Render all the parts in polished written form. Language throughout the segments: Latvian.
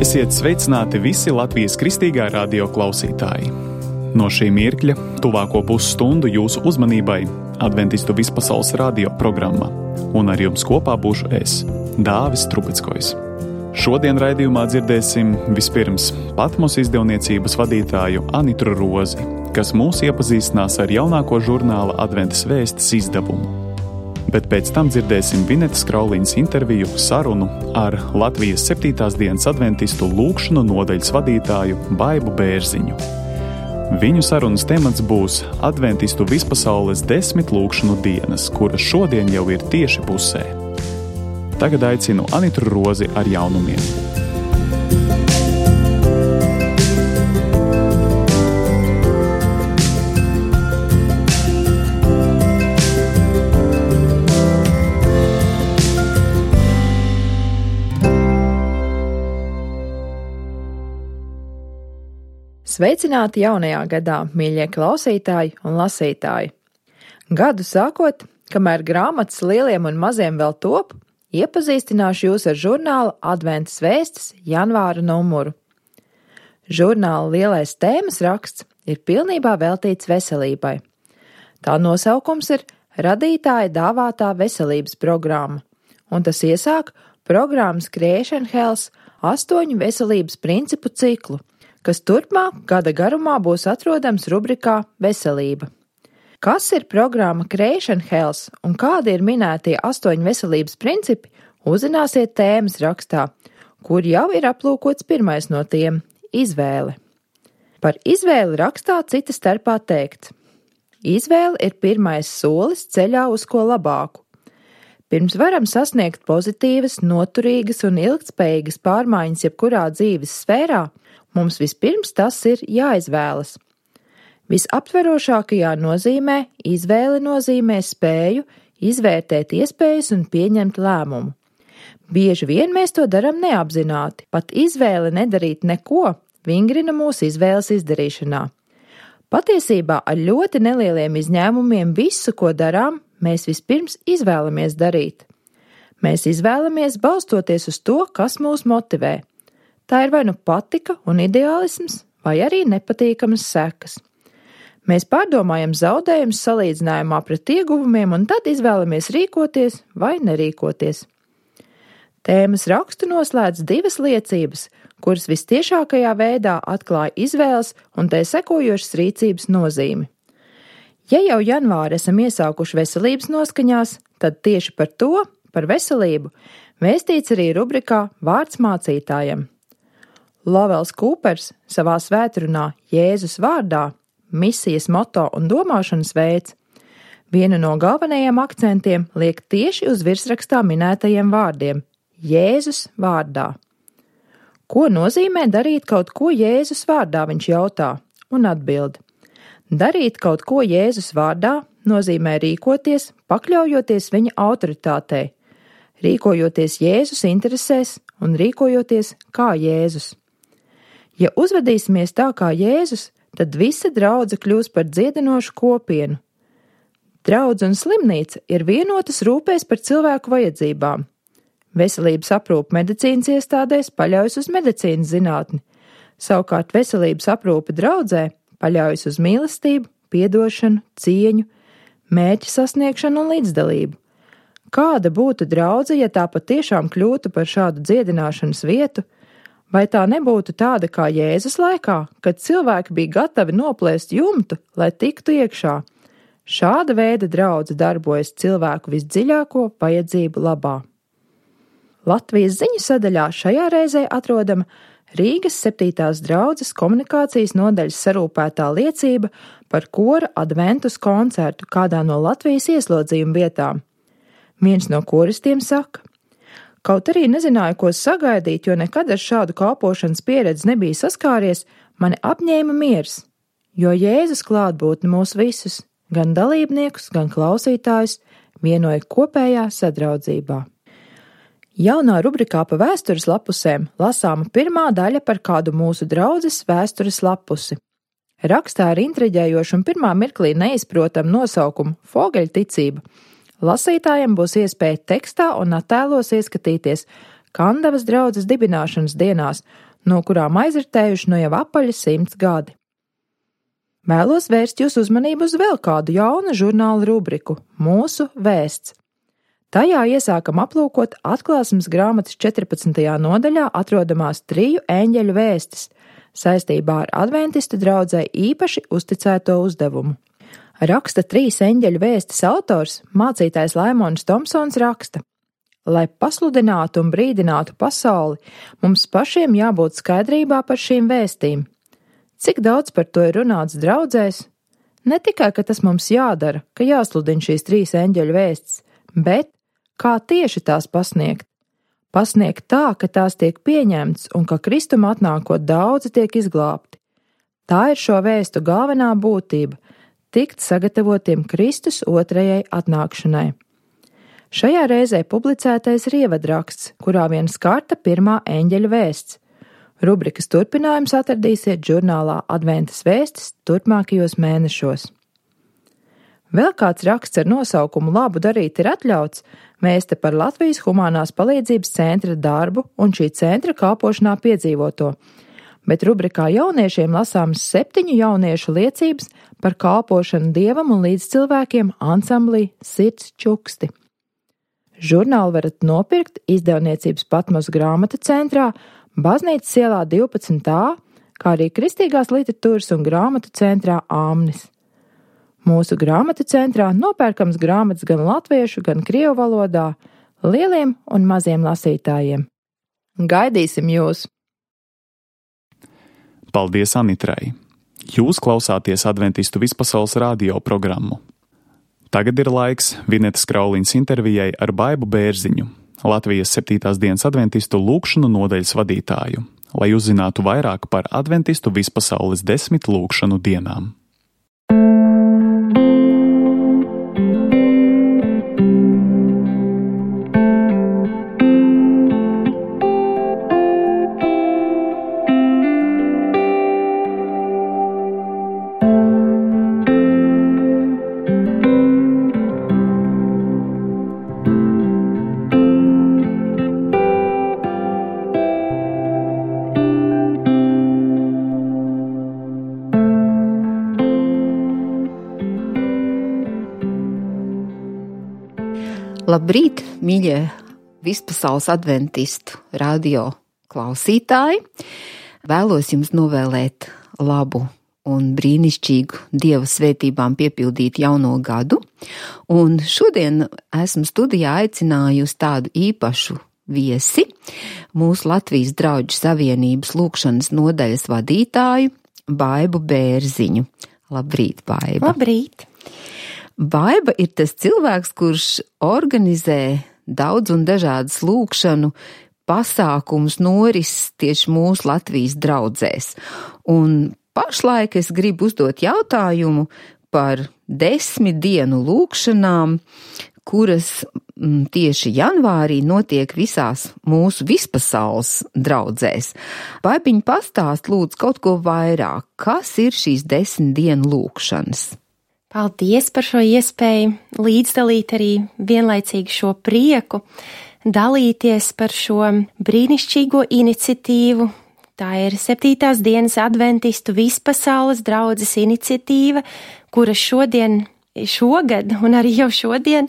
Esiet sveicināti visi Latvijas Kristīgā radio klausītāji. No šī mirkļa tuvāko pusstundu jūsu uzmanībai Adventistu vispasaules radio programma, un ar jums kopā būšu es, Dāvis Trubickojs. Šodien raidījumā dzirdēsim vispirms Patmos izdevniecības vadītāju Anitu Rozi, kas mūs iepazīstinās ar jaunāko žurnāla Adventas vēstis izdevumu. Bet pēc tam dzirdēsim Vinetas Krauliņas interviju sarunu ar Latvijas 7. dienas adventistu lūgšanu nodaļas vadītāju Baibu Bērziņu. Viņu sarunas temats būs Adventistu vispasaules 10 lūgšanu dienas, kuras šodien jau ir tieši pusē. Tagad aicinu Anitu Rozi ar jaunumiem. Sveicināti jaunajā gadā, mīļie klausītāji un lasītāji! Gadu sākot, kamēr grāmatas lieliem un maziem vēl top, iepazīstināšu jūs ar žurnāla Adventas vēstis janvāra numuru. Žurnāla lielais tēmas raksts ir pilnībā veltīts veselībai. Tā nosaukums ir Radītāja dāvātā veselības programma, un tas iesāk programmas Creation Health 8 veselības principu ciklu, kas turpmāk gada garumā būs atrodams rubrikā Veselība. Kas ir programma Creation Health un kādi ir minētie 8 veselības principi, uzzināsiet tēmas rakstā, kur jau ir aplūkots pirmais no tiem – izvēle. Par izvēli rakstā cita starpā teikts. Izvēle ir pirmais solis ceļā uz ko labāku. Pirms varam sasniegt pozitīvas, noturīgas un ilgtspējīgas pārmaiņas jebkurā dzīves sfērā, mums vispirms tas ir jāizvēlas. Visaptverošākajā nozīmē izvēle nozīmē spēju izvērtēt iespējas un pieņemt lēmumu. Bieži vien mēs to daram neapzināti, pat izvēle nedarīt neko vingrina mūsu izvēles izdarīšanā. Patiesībā ar ļoti nelieliem izņēmumiem visu, ko darām, mēs vispirms izvēlamies darīt. Mēs izvēlamies balstoties uz to, kas mūs motivē. Tā ir vai nu patika un ideālisms, vai arī nepatīkamas sekas. Mēs pārdomājam zaudējumus salīdzinājumā pret ieguvumiem un tad izvēlamies rīkoties vai nerīkoties. Tēmas rakstu noslēdz 2 liecības, kuras vistiešākajā veidā atklāja izvēles un tai sekojošas rīcības nozīmi. Ja jau janvāri esam iesākuši veselības noskaņās, tad tieši par to, par veselību, vēstīts arī rubrikā Vārds mācītājam. Lovels Kūpers savā svētrunā Jēzus vārdā, misijas moto un domāšanas veids, vienu no galvenajiem akcentiem liek tieši uz virsrakstā minētajiem vārdiem – Jēzus vārdā. Ko nozīmē darīt kaut ko Jēzus vārdā, viņš jautā, un atbild. Darīt kaut ko Jēzus vārdā nozīmē rīkoties, pakļaujoties viņa autoritātei, rīkojoties Jēzus interesēs un rīkojoties kā Jēzus. Ja uzvedīsimies tā kā Jēzus, tad visa draudze kļūs par dziedinošu kopienu. Draudze un slimnīca ir vienotas rūpēs par cilvēku vajadzībām. Veselības aprūpe medicīnas iestādēs paļaujas uz medicīnas zinātni, savukārt veselības aprūpe draudzē paļaujas uz mīlestību, piedošanu, cieņu, mērķa sasniegšanu un līdzdalību. Kāda būtu draudze, ja tā patiešām kļūtu par šādu dziedināšanas vietu? Vai tā nebūtu tāda kā Jēzus laikā, kad cilvēki bija gatavi noplēst jumtu, lai tiktu iekšā? Šāda veida draudze darbojas cilvēku visdziļāko vajadzību labā. Latvijas ziņu sadaļā šajā reizē atrodama Rīgas 7. draudzes komunikācijas nodaļas sarūpētā liecība par kora adventus koncertu kādā no Latvijas ieslodzījuma vietām. Viens no koristiem saka: Kaut arī nezināju, ko sagaidīt, jo nekad ar šādu kalpošanas pieredzi nebija saskāries, mani apņēma miers, jo Jēzus klātbūtne mūs visus, gan dalībniekus, gan klausītājus, vienoja kopējā sadraudzībā. Jaunā rubrikā pa vēstures lapusēm lasāma pirmā daļa par kādu mūsu draudzes vēstures lapusi. Rakstā ar intriģējošu un pirmā mirklī neizprotamu nosaukumu Fogeļticība. Lasītājiem būs iespēja tekstā un attēlos ieskatīties Kandavas draudzes dibināšanas dienās, no kurām aizritējuši no jau apaļi 100 gadi. Vēlos vērst jūsu uzmanību uz vēl kādu jaunu žurnāla rubriku – Mūsu vēsts. Tajā iesākam aplūkot atklāsmes grāmatas 14. nodaļā atrodamās 3 eņģeļu vēstis saistībā ar adventistu draudzei īpaši uzticēto uzdevumu. Raksta 3 eņģeļu vēstis autors, mācītājs Laimons Tomsons raksta: lai pasludinātu un brīdinātu pasauli, mums pašiem jābūt skaidrībā par šīm vēstīm. Cik daudz par to ir runāts draudzēs? Ne tikai, ka tas mums jādara, ka jāsludina šīs 3 eņģeļu vēstis, bet kā tieši tās pasniegt? Pasniegt tā, ka tās tiek pieņemts un ka Kristuma atnākot daudzi tiek izglābti. Tā ir šo vēstu galvenā būtība – tikt sagatavotiem Kristus otrajai atnākšanai. Šajā reizē publicētais ir ievadraksts, kurā vien skarta 1. eņģeļa vēsts. Rubrikas turpinājums atradīsiet žurnālā Adventas vēstis turpmākajos mēnešos. Vēl kāds raksts ar nosaukumu Labu darīt ir atļauts, vēsta par Latvijas Humanās palīdzības centra darbu un šī centra kalpošanā piedzīvoto, bet rubrikā jauniešiem lasāmas 7 jauniešu liecības par kalpošanu Dievam un līdzcilvēkiem ansamblī Sirds čuksti. Žurnālu varat nopirkt izdevniecības Patmos grāmatu centrā, Baznīcas ielā 12a, kā arī Kristīgās literatūras un grāmatu centrā Āmnis. Mūsu grāmatu centrā nopērkams grāmatas gan latviešu, gan krievu valodā, lieliem un maziem lasītājiem. Gaidīsim jūs! Paldies Anitrai! Jūs klausāties Adventistu vispasaules radio programmu. Tagad ir laiks Vinetas Krauliņas intervijai ar Baibu Bērziņu, Latvijas 7. dienas adventistu lūgšanu nodaļas vadītāju, lai uzzinātu vairāk par adventistu vispasaules 10 lūgšanu dienām. Labrīt, mīļie vispasaules adventistu radio klausītāji! Vēlos jums novēlēt labu un brīnišķīgu Dieva svētībām piepildītu jauno gadu, un šodien esmu studijā aicinājusi tādu īpašu viesi, mūsu Latvijas Draudžu savienības lūgšanas nodaļas vadītāju Baibu Bērziņu. Labrīt, Baiba! Labrīt! Baiba ir tas cilvēks, kurš organizē daudz un dažādas lūgšanu pasākumus norises tieši mūsu Latvijas draudzēs. Un pašlaik es gribu uzdot jautājumu par 10 dienu lūgšanām, kuras tieši janvārī notiek visās mūsu vispasaules draudzēs. Baibiņ, pastāst lūdzu kaut ko vairāk, kas ir šīs 10 dienu lūgšanas? Paldies par šo iespēju līdzdalīt arī vienlaicīgi šo prieku, dalīties par šo brīnišķīgo iniciatīvu. Tā ir 7. dienas adventistu vispasaules draudzes iniciatīva, kura šogad un arī jau šodien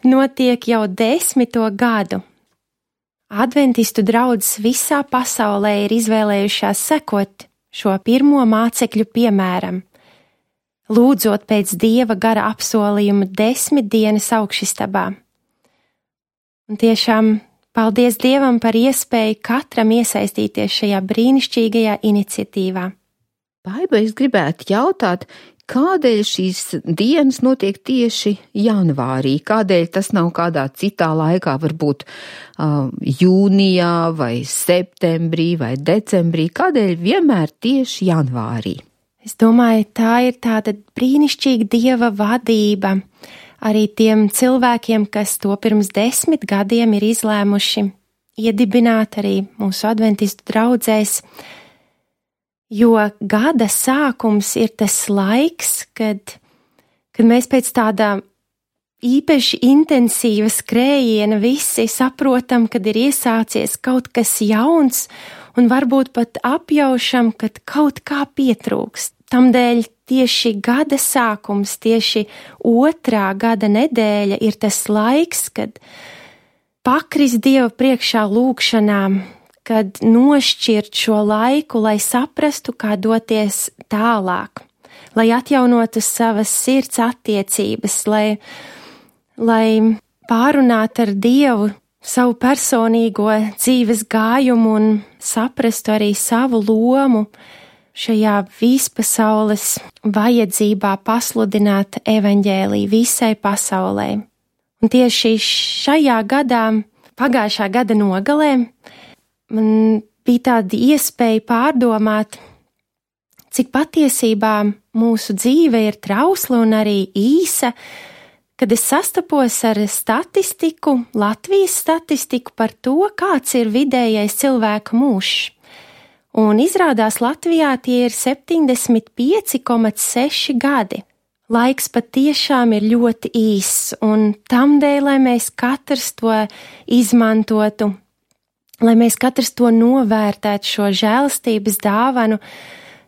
notiek jau 10. gadu. Adventistu draudzes visā pasaulē ir izvēlējušās sekot šo pirmo mācekļu piemēram, lūdzot pēc Dieva gara apsolījuma 10 dienas augšistabā. Un tiešām paldies Dievam par iespēju katram iesaistīties šajā brīnišķīgajā iniciatīvā. Baiba, es gribētu jautāt, kādēļ šīs dienas notiek tieši janvārī? Kādēļ tas nav kādā citā laikā, varbūt jūnijā vai septembrī vai decembrī? Kādēļ vienmēr tieši janvārī? Es domāju, tā ir tāda brīnišķīga Dieva vadība arī tiem cilvēkiem, kas to pirms 10 gadiem ir izlēmuši iedibināt arī mūsu adventistu draudzēs, jo gada sākums ir tas laiks, kad mēs pēc tāda īpaši intensīva skrējiena visi saprotam, kad ir iesācies kaut kas jauns, un varbūt pat apjaušam, kad kaut kā pietrūkst. Tamdēļ tieši gada sākums, tieši 2. gada nedēļa ir tas laiks, kad pakrist Dieva priekšā lūgšanām, kad nošķirt šo laiku, lai saprastu, kā doties tālāk, lai atjaunotu savas sirds attiecības, lai pārunātu ar Dievu savu personīgo dzīves gājumu un saprastu arī savu lomu šajā vispasaules vajadzībā pasludināt evaņģēliju visai pasaulē. Un tieši šajā gadā, pagājušā gada nogalē, man bija tāda iespēja pārdomāt, cik patiesībā mūsu dzīve ir trausla un arī īsa, kad es sastapos ar statistiku, Latvijas statistiku par to, kāds ir vidējais cilvēka mūžs. Un izrādās Latvijā tie ir 75,6 gadi. Laiks patiešām ir ļoti īss, un tamdēļ, lai mēs katrs to izmantotu, lai mēs katrs to novērtētu šo žēlastības dāvanu,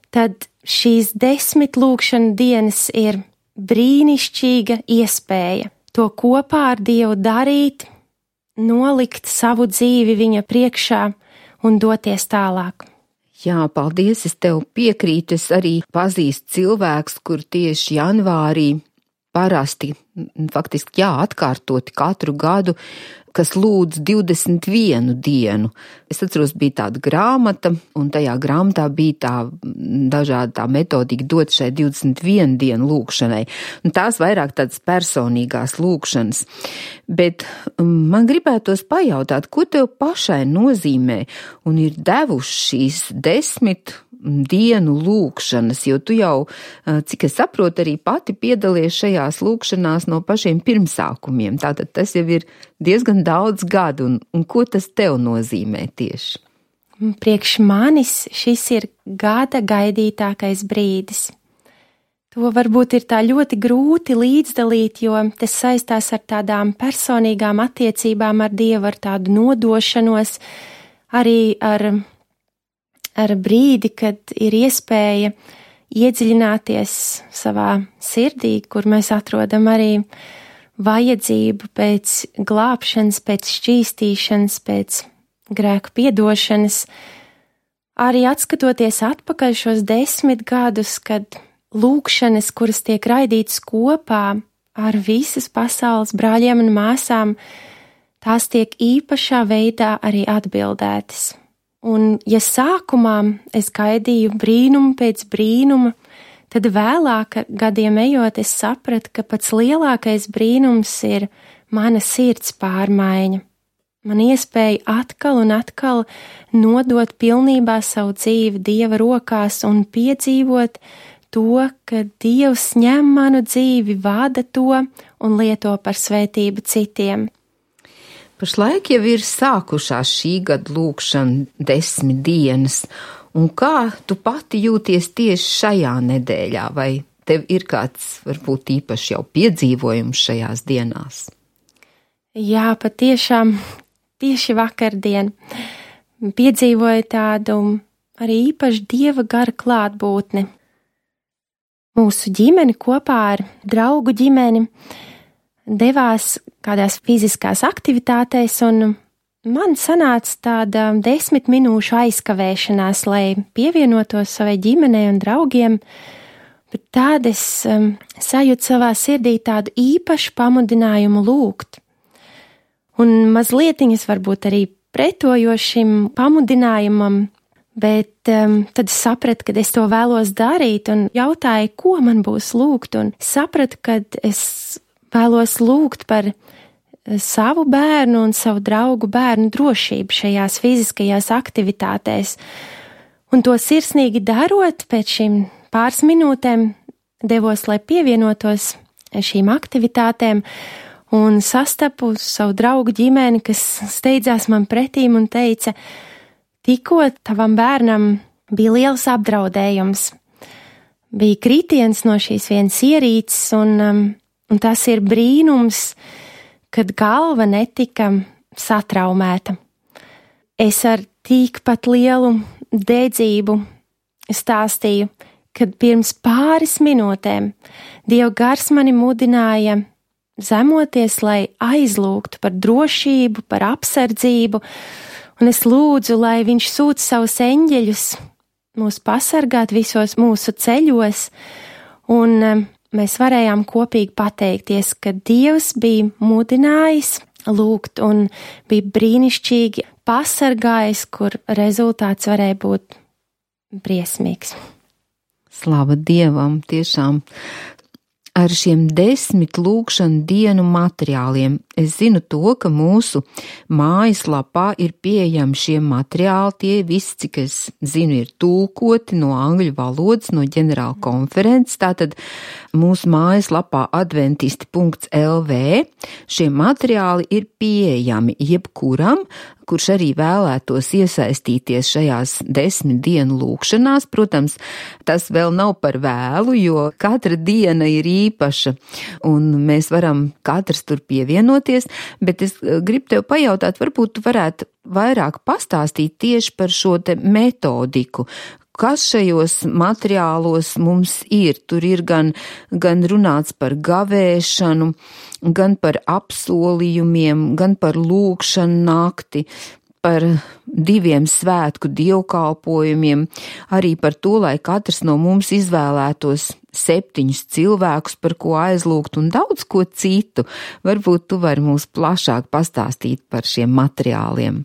tad šīs 10 lūgšana dienas ir brīnišķīga iespēja to kopā ar Dievu darīt, nolikt savu dzīvi viņa priekšā un doties tālāk. Jā, paldies, es tev piekrītu, es arī pazīstu cilvēks, kur tieši janvārī parasti, faktiski atkārtoti katru gadu, kas lūdz 21 dienu. Es atceros, bija tāda grāmata, un tajā grāmatā bija tā dažāda tā metodika dot šai 21 dienu lūkšanai. Un tās vairāk tādas personīgās lūkšanas. Bet man gribētos pajautāt, ko tev pašai nozīmē un ir devuši šīs 10 dienu lūkšanas, jo tu jau, cik es saprotu, arī pati piedalies šajās lūkšanās no pašiem pirmsākumiem. Tātad tas jau ir diezgan daudz gadu, un ko tas tev nozīmē tieši? Priekš manis šis ir gada gaidītākais brīdis. To varbūt ir tā ļoti grūti līdzdalīt, jo tas saistās ar tādām personīgām attiecībām ar Dievu, ar tādu nodošanos, arī ar brīdi, kad ir iespēja iedziļināties savā sirdī, kur mēs atrodam arī vajadzību pēc glābšanas, pēc šķīstīšanas, pēc grēku piedošanas. Arī atskatoties atpakaļ šos 10 gadus, kad lūkšanas, kuras tiek raidītas kopā ar visas pasaules brāļiem un māsām, tās tiek īpašā veidā arī atbildētas. Un, ja sākumā es gaidīju brīnumu pēc brīnuma, tad vēlāk gadiem ejot es sapratu, ka pats lielākais brīnums ir mana sirds pārmaiņa. Man iespēja atkal un atkal nodot pilnībā savu dzīvi Dieva rokās un piedzīvot to, ka Dievs ņem manu dzīvi, vada to un lieto par svētību citiem. Pašlaik jau ir sākušās šī gada lūkšana 10 dienas, un kā tu pati jūties tieši šajā nedēļā, vai tev ir kāds varbūt īpaši jau piedzīvojums šajās dienās? Jā, patiešām tieši vakardien piedzīvoju tādu arī īpaši Dieva gara klātbūtni. Mūsu ģimeni kopā ar draugu ģimeni devās kādās fiziskās aktivitātēs, un man sanāca tāda 10 minūšu aizkavēšanās, lai pievienotos savai ģimenei un draugiem, bet tād es sajūtu savā sirdī tādu īpašu pamudinājumu lūgt. Un mazlietiņas varbūt arī pretojošim pamudinājumam, bet tad es sapratu, ka es to vēlos darīt un jautāju, ko man būs lūgt, un sapratu, ka es vēlos lūgt par savu bērnu un savu draugu bērnu drošību šajās fiziskajās aktivitātēs. Un to sirsnīgi darot, pēc šīm pāris minūtēm devos, lai pievienotos šīm aktivitātēm, un sastapu savu draugu ģimeni, kas steidzās man pretīm un teica, tikko tavam bērnam bija liels apdraudējums. Bija kritiens no šīs vienas ierīces, un tas ir brīnums, kad galva netika satraumēta. Es ar tikpat lielu dedzību stāstīju, kad pirms pāris minūtēm Dieva gars mani mudināja zemoties, lai aizlūgtu par drošību, par apsardzību, un es lūdzu, lai viņš sūta savus eņģeļus mūs pasargāt visos mūsu ceļos, un mēs varējām kopīgi pateikties, ka Dievs bija mudinājis lūgt un bija brīnišķīgi pasargājis, kur rezultāts varēja būt briesmīgs. Slava Dievam, tiešām ar šiem 10 lūgšanu dienu materiāliem. Es zinu to, ka mūsu mājaslapā ir pieejami šie materiāli, tie visi, cik es zinu, ir tulkoti no angļu valodas, no ģenerāla konferences, tātad mūsu mājaslapā adventisti.lv šie materiāli ir pieejami jebkuram, kurš arī vēlētos iesaistīties šajās 10 dienu lūkšanās. Protams, tas vēl nav par vēlu, jo katra diena ir īpaša, un mēs varam katrs tur pievienoties, bet es gribu tev pajautāt, varbūt tu varētu vairāk pastāstīt tieši par šo te metodiku. Kas šajos materiālos mums ir? Tur ir gan runāts par gavēšanu, gan par apsolījumiem, gan par lūgšanu nakti, par 2 svētku dievkalpojumiem, arī par to, lai katrs no mums izvēlētos 7 cilvēkus, par ko aizlūgt, un daudz ko citu. Varbūt tu vari mums plašāk pastāstīt par šiem materiāliem.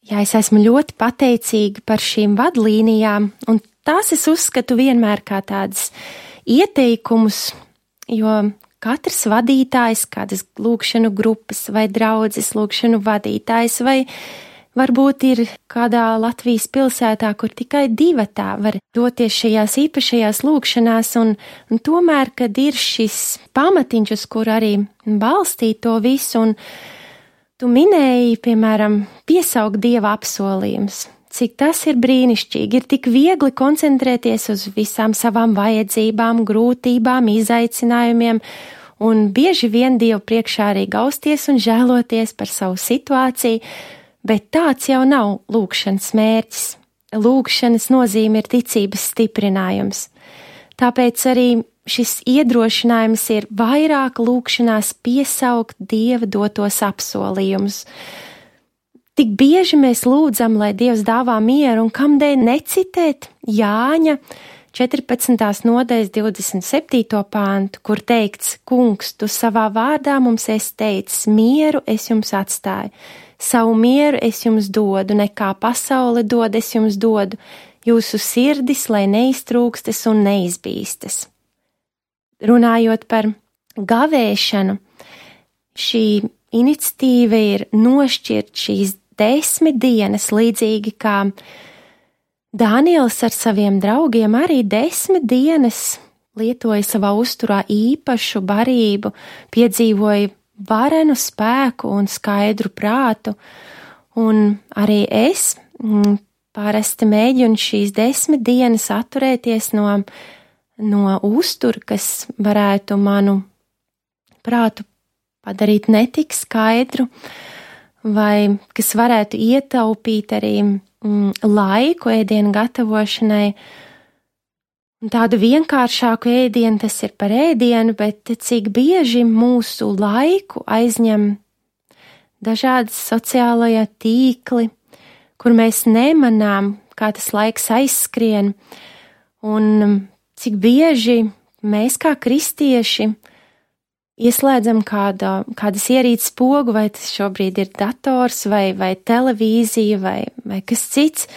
Jā, es esmu ļoti pateicīga par šīm vadlīnijām, un tās es uzskatu vienmēr kā tādas ieteikumus, jo katrs vadītājs, kādas lūgšanu grupas vai draudzes lūgšanu vadītājs, vai varbūt ir kādā Latvijas pilsētā, kur tikai 2 tā var doties šajās īpašajās lūgšanās, un tomēr, kad ir šis pamatiņš, uz kur arī balstīt to visu, un tu minēji, piemēram, piesaukt Dieva apsolījumus. Cik tas ir brīnišķīgi, ir tik viegli koncentrēties uz visām savām vajadzībām, grūtībām, izaicinājumiem, un bieži vien Dievu priekšā arī gausties un žēloties par savu situāciju, bet tāds jau nav lūgšanas mērķis. Lūgšanas nozīme ir ticības stiprinājums. Tāpēc arī šis iedrošinājums ir vairāk lūgšanās piesaukt Dieva dotos apsolījumus. Tik bieži mēs lūdzam, lai Dievs dāvā mieru, un kamdēļ necitēt Jāņa 14. nodaļas 27. pāntu, kur teikts: Kungs, tu savā vārdā mums esi teicis, mieru es jums atstāju, savu mieru es jums dodu, nekā pasaule dod, es jums dodu, jūsu sirdis, lai neiztrūkstas un neizbīstas. Runājot par gavēšanu, šī iniciatīva ir nošķirt šīs 10 dienas, līdzīgi kā Daniels ar saviem draugiem arī 10 dienas lietoja savā uzturā īpašu barību, piedzīvoja varenu spēku un skaidru prātu, un arī es parasti mēģinu šīs 10 dienas atturēties no uztura, kas varētu manu prātu padarīt netik skaidru, vai kas varētu ietaupīt arī laiku ēdienu gatavošanai. Tādu vienkāršāku ēdienu tas ir par ēdienu, bet cik bieži mūsu laiku aizņem dažādas sociālajā tīkli, kur mēs nemanām, kā tas laiks aizskrien, un cik bieži mēs kā kristieši ieslēdzam kādas ierīces pogu, vai tas šobrīd ir dators, vai televīzija, vai kas cits,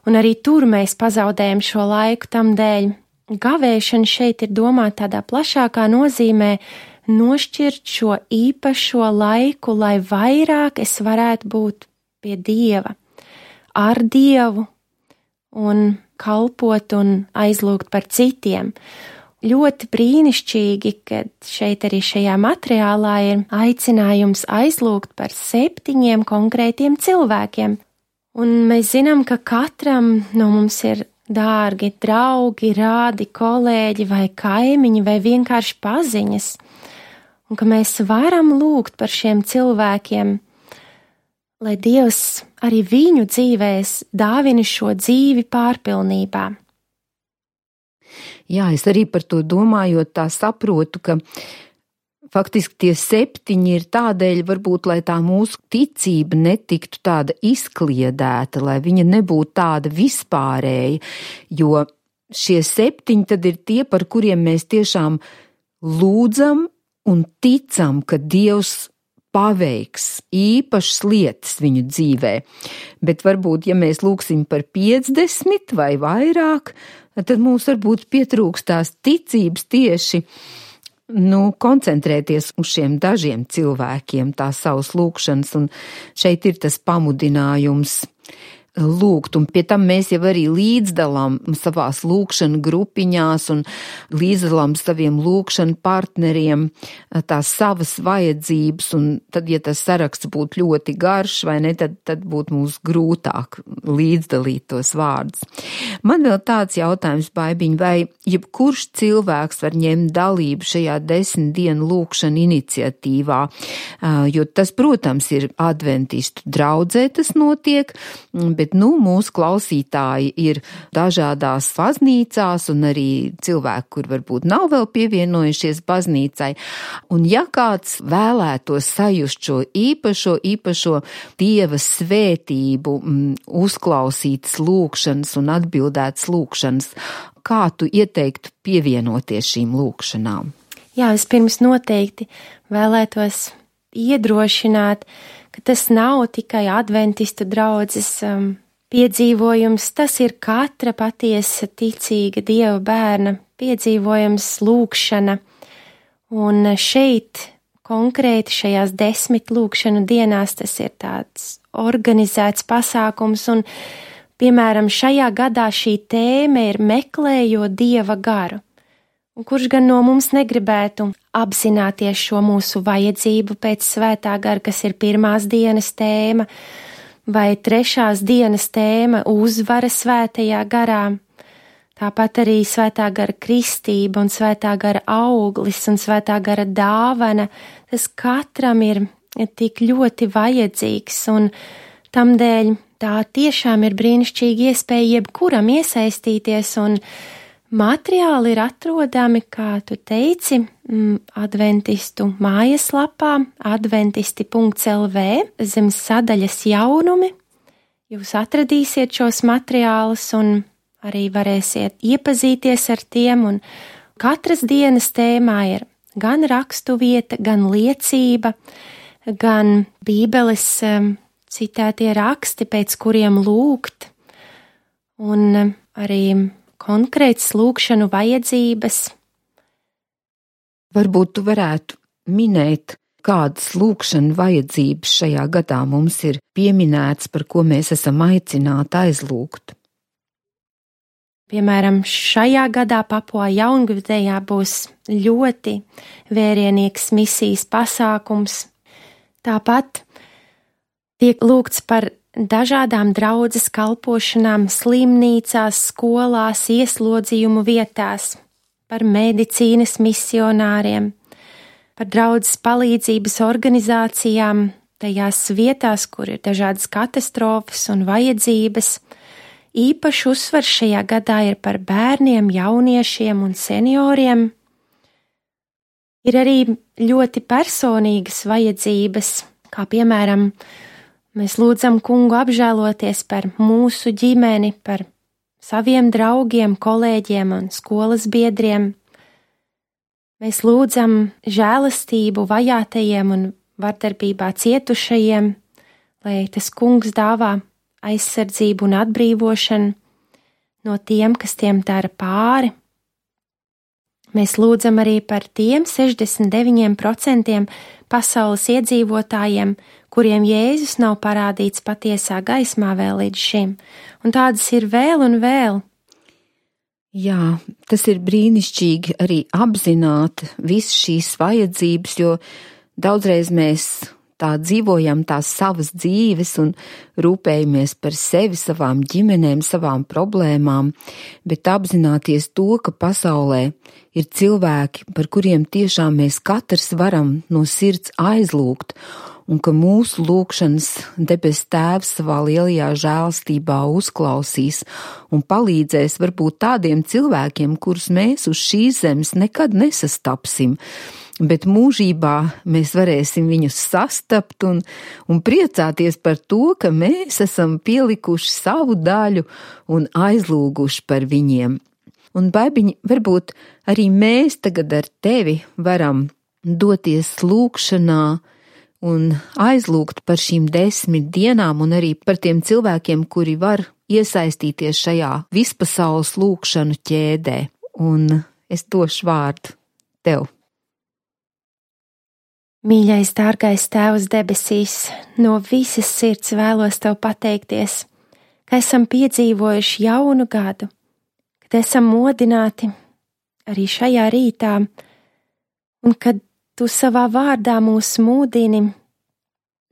un arī tur mēs pazaudējam šo laiku tam dēļ. Gavēšana šeit ir domāta tādā plašākā nozīmē nošķirt šo īpašo laiku, lai vairāk es varētu būt pie Dieva, ar Dievu un kalpot un aizlūgt par citiem. Ļoti brīnišķīgi, kad šeit arī šajā materiālā ir aicinājums aizlūgt par 7 konkrētiem cilvēkiem. Un mēs zinām, ka katram no mums ir dārgi draugi, rādi, kolēģi vai kaimiņi vai vienkārši paziņas. Un ka mēs varam lūgt par šiem cilvēkiem, lai Dievs arī viņu dzīvēs dāvina šo dzīvi pārpilnībā. Jā, es arī par to domājot tā saprotu, ka faktiski tie 7 ir tādēļ varbūt, lai tā mūsu ticība netiktu tāda izkliedēta, lai viņa nebūtu tāda vispārēja, jo šie 7 tad ir tie, par kuriem mēs tiešām lūdzam un ticam, ka Dievs paveiks īpašas lietas viņu dzīvē. Bet varbūt, ja mēs lūksim par 50 vai vairāk, tad mums varbūt pietrūkst tās ticības tieši koncentrēties uz šiem dažiem cilvēkiem, tās savas lūkšanas, un šeit ir tas pamudinājums lūgt, un pie tam mēs jau arī līdzdalām savās lūkšana grupiņās un līdzdalām saviem lūkšana partneriem tās savas vajadzības, un tad, ja tas saraksts būtu ļoti garš, vai ne, tad būtu mums grūtāk līdzdalīt tos vārdus. Man vēl tāds jautājums, Baibiņ, vai jebkurš cilvēks var ņemt dalību šajā 10 dienu lūkšana iniciatīvā, jo tas, protams, ir adventistu draudzē tas notiek, bet mūsu klausītāji ir dažādās baznīcās un arī cilvēki, kur varbūt nav vēl pievienojušies baznīcai. Un ja kāds vēlētos sajust šo īpašo Dieva svētību, uzklausītas lūkšanas un atbildētas lūkšanas, kā tu ieteiktu pievienoties šīm lūkšanām? Jā, vispirms noteikti vēlētos iedrošināt, ka tas nav tikai adventistu draudzes piedzīvojums, tas ir katra patiesa ticīga Dieva bērna piedzīvojums, lūkšana. Un šeit, konkrēti šajās 10 lūkšanu dienās, tas ir tāds organizēts pasākums, un, piemēram, šajā gadā šī tēma ir meklējot Dieva garu. Un kurš gan no mums negribētu apzināties šo mūsu vajadzību pēc svētā gara, kas ir pirmās dienas tēma, vai 3. dienas tēma uzvara svētajā garā. Tāpat arī svētā gara kristība un svētā gara auglis un svētā gara dāvana, tas katram ir tik ļoti vajadzīgs, un tamdēļ tā tiešām ir brīnišķīga iespēja jebkuram iesaistīties, un materiāli ir atrodami, kā tu teici, adventistu mājaslapā adventisti.lv zem sadaļas jaunumi. Jūs atradīsiet šos materiālus un arī varēsiet iepazīties ar tiem, un katras dienas tēmā ir gan rakstu vieta, gan liecība, gan Bībeles citētie raksti, pēc kuriem lūgt, un arī konkrētas lūkšanu vajadzības. Varbūt tu varētu minēt, kādas lūkšanu vajadzības šajā gadā mums ir pieminētas, par ko mēs esam aicināti aizlūgt. Piemēram, šajā gadā Papua Jaungvinejā būs ļoti vērienīgs misijas pasākums. Tāpat tiek lūgts par dažādām draudzes kalpošanām slimnīcās, skolās, ieslodzījumu vietās, par medicīnas misionāriem, par draudzes palīdzības organizācijām, tajās vietās, kur ir dažādas katastrofas un vajadzības. Īpaši uzsvars šajā gadā ir par bērniem, jauniešiem un senioriem. Ir arī ļoti personīgas vajadzības, kā piemēram, mēs lūdzam Kungu apžēloties par mūsu ģimeni, par saviem draugiem, kolēģiem un skolas biedriem. Mēs lūdzam žēlastību vajātajiem un vardarbībā cietušajiem, lai tas Kungs dāvā aizsardzību un atbrīvošanu no tiem, kas tiem dara pāri. Mēs lūdzam arī par tiem 69% pasaules iedzīvotājiem, kuriem Jēzus nav parādīts patiesā gaismā vēl līdz šim, un tādas ir vēl un vēl. Jā, tas ir brīnišķīgi arī apzināt visas šīs vajadzības, jo daudzreiz mēs tā dzīvojam tās savas dzīves un rūpējamies par sevi, savām ģimenēm, savām problēmām, bet apzināties to, ka pasaulē ir cilvēki, par kuriem tiešām mēs katrs varam no sirds aizlūgt, un ka mūsu lūgšanas debes Tēvs savā lielajā žēlstībā uzklausīs un palīdzēs varbūt tādiem cilvēkiem, kurus mēs uz šīs zemes nekad nesastapsim, bet mūžībā mēs varēsim viņus sastapt un priecāties par to, ka mēs esam pielikuši savu daļu un aizlūguši par viņiem. Un, Baibiņ, varbūt arī mēs tagad ar tevi varam doties lūgšanā un aizlūgt par šīm 10 dienām un arī par tiem cilvēkiem, kuri var iesaistīties šajā vispasaules lūgšanu ķēdē. Un es došu vārdu tev. Mīļais, dārgais Tēvs debesīs, no visas sirds vēlos Tev pateikties, ka esam piedzīvojuši jaunu gadu, kad esam modināti arī šajā rītā, un kad Tu savā vārdā mūs mūdini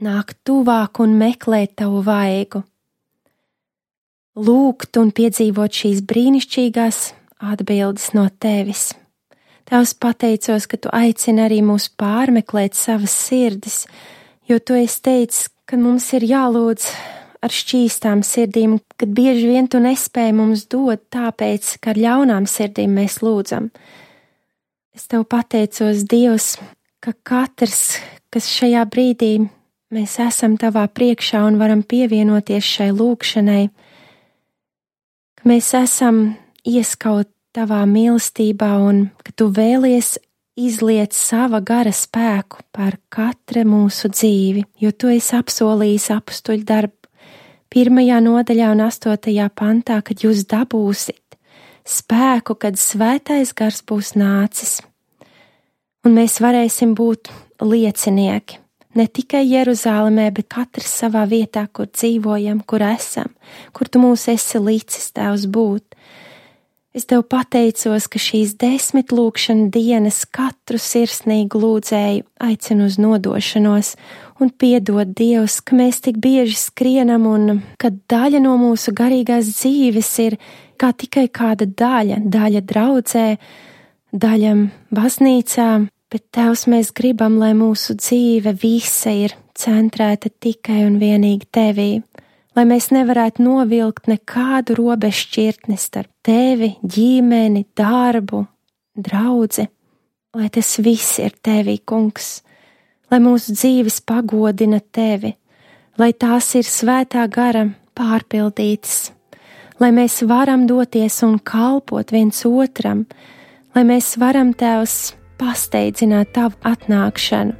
nākt tuvāk un meklēt Tavu vaigu, lūgt un piedzīvot šīs brīnišķīgās atbildes no Tevis. Tavs pateicos, ka Tu aicini arī mūs pārmeklēt savas sirdis, jo Tu esi teicis, ka mums ir jālūdz ar šķīstām sirdīm, kad bieži vien Tu nespēji mums dot, tāpēc, ka ar ļaunām sirdīm mēs lūdzam. Es Tev pateicos, Dievs, ka katrs, kas šajā brīdī mēs esam Tavā priekšā un varam pievienoties šai lūgšanai, ka mēs esam ieskaut Tavā mīlestībā un ka Tu vēlies izliet sava gara spēku par katra mūsu dzīvi, jo Tu esi apsolījis apustuļu darbu 1. nodaļā un 8. pantā, kad jūs dabūsit spēku, kad svētais gars būs nācis. Un mēs varēsim būt liecinieki, ne tikai Jeruzālēmē, bet katrs savā vietā, kur dzīvojam, kur esam, kur Tu mūs esi licis, Tēvs, būt. Es Tev pateicos, ka šīs 10 lūgšana dienas katru sirsnīgu lūdzēju aicinu uz nodošanos un piedod, Dievs, ka mēs tik bieži skrienam un ka daļa no mūsu garīgās dzīves ir kā tikai kāda daļa draudzē, daļa baznīcā, bet Tēvs, mēs gribam, lai mūsu dzīve visa ir centrēta tikai un vienīgi Tevī, lai mēs nevarētu novilkt nekādu robežu šķirtni starp Tevi, ģimeni, darbu, draudzi, lai tas viss ir Tevī, Kungs, lai mūsu dzīves pagodina Tevi, lai tās ir svētā gara pārpildītas, lai mēs varam doties un kalpot viens otram, lai mēs varam, Tēvs, pasteidzināt Tavu atnākšanu.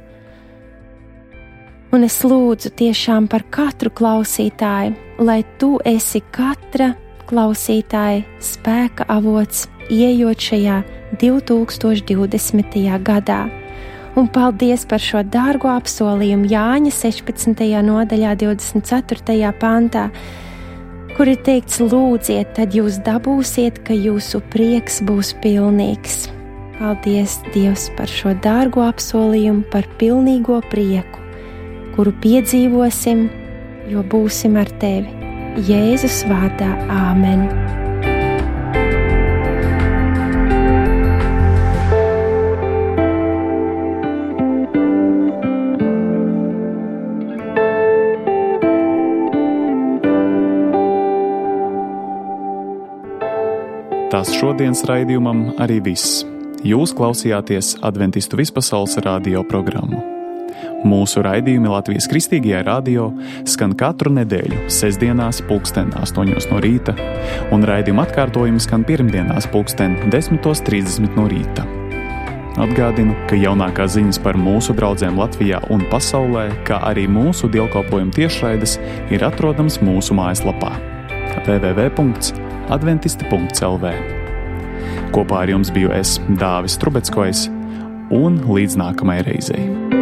Un es lūdzu tiešām par katru klausītāju, lai Tu esi katra klausītāja spēka avots, ieejot šajā 2020. gadā. Un paldies par šo dārgo apsolījumu Jāņa 16. nodaļā 24. pantā, kur ir teikts: lūdziet, tad jūs dabūsiet, ka jūsu prieks būs pilnīgs. Paldies, Dievs, par šo dārgo apsolījumu, par pilnīgo prieku, kuru piedzīvosim, jo būsim ar Tevi. Jēzus vārdā, āmen. Tas šodienas raidījumam arī viss. Jūs klausījāties Adventistu vispasaules radio programmu. Mūsu raidījumi Latvijas Kristīgajā radio skan katru nedēļu sestdienās 8:00 no rīta, un raidījuma atkārtojumi skan pirmdienās 10:30 no rīta. Atgādinu, ka jaunākās ziņas par mūsu draudzēm Latvijā un pasaulē, kā arī mūsu dievkalpojumu tiešraides, ir atrodams mūsu mājaslapā www.adventisti.lv. Kopā ar jums biju es, Dāvis Trubeckojs, un līdz nākamajai reizei.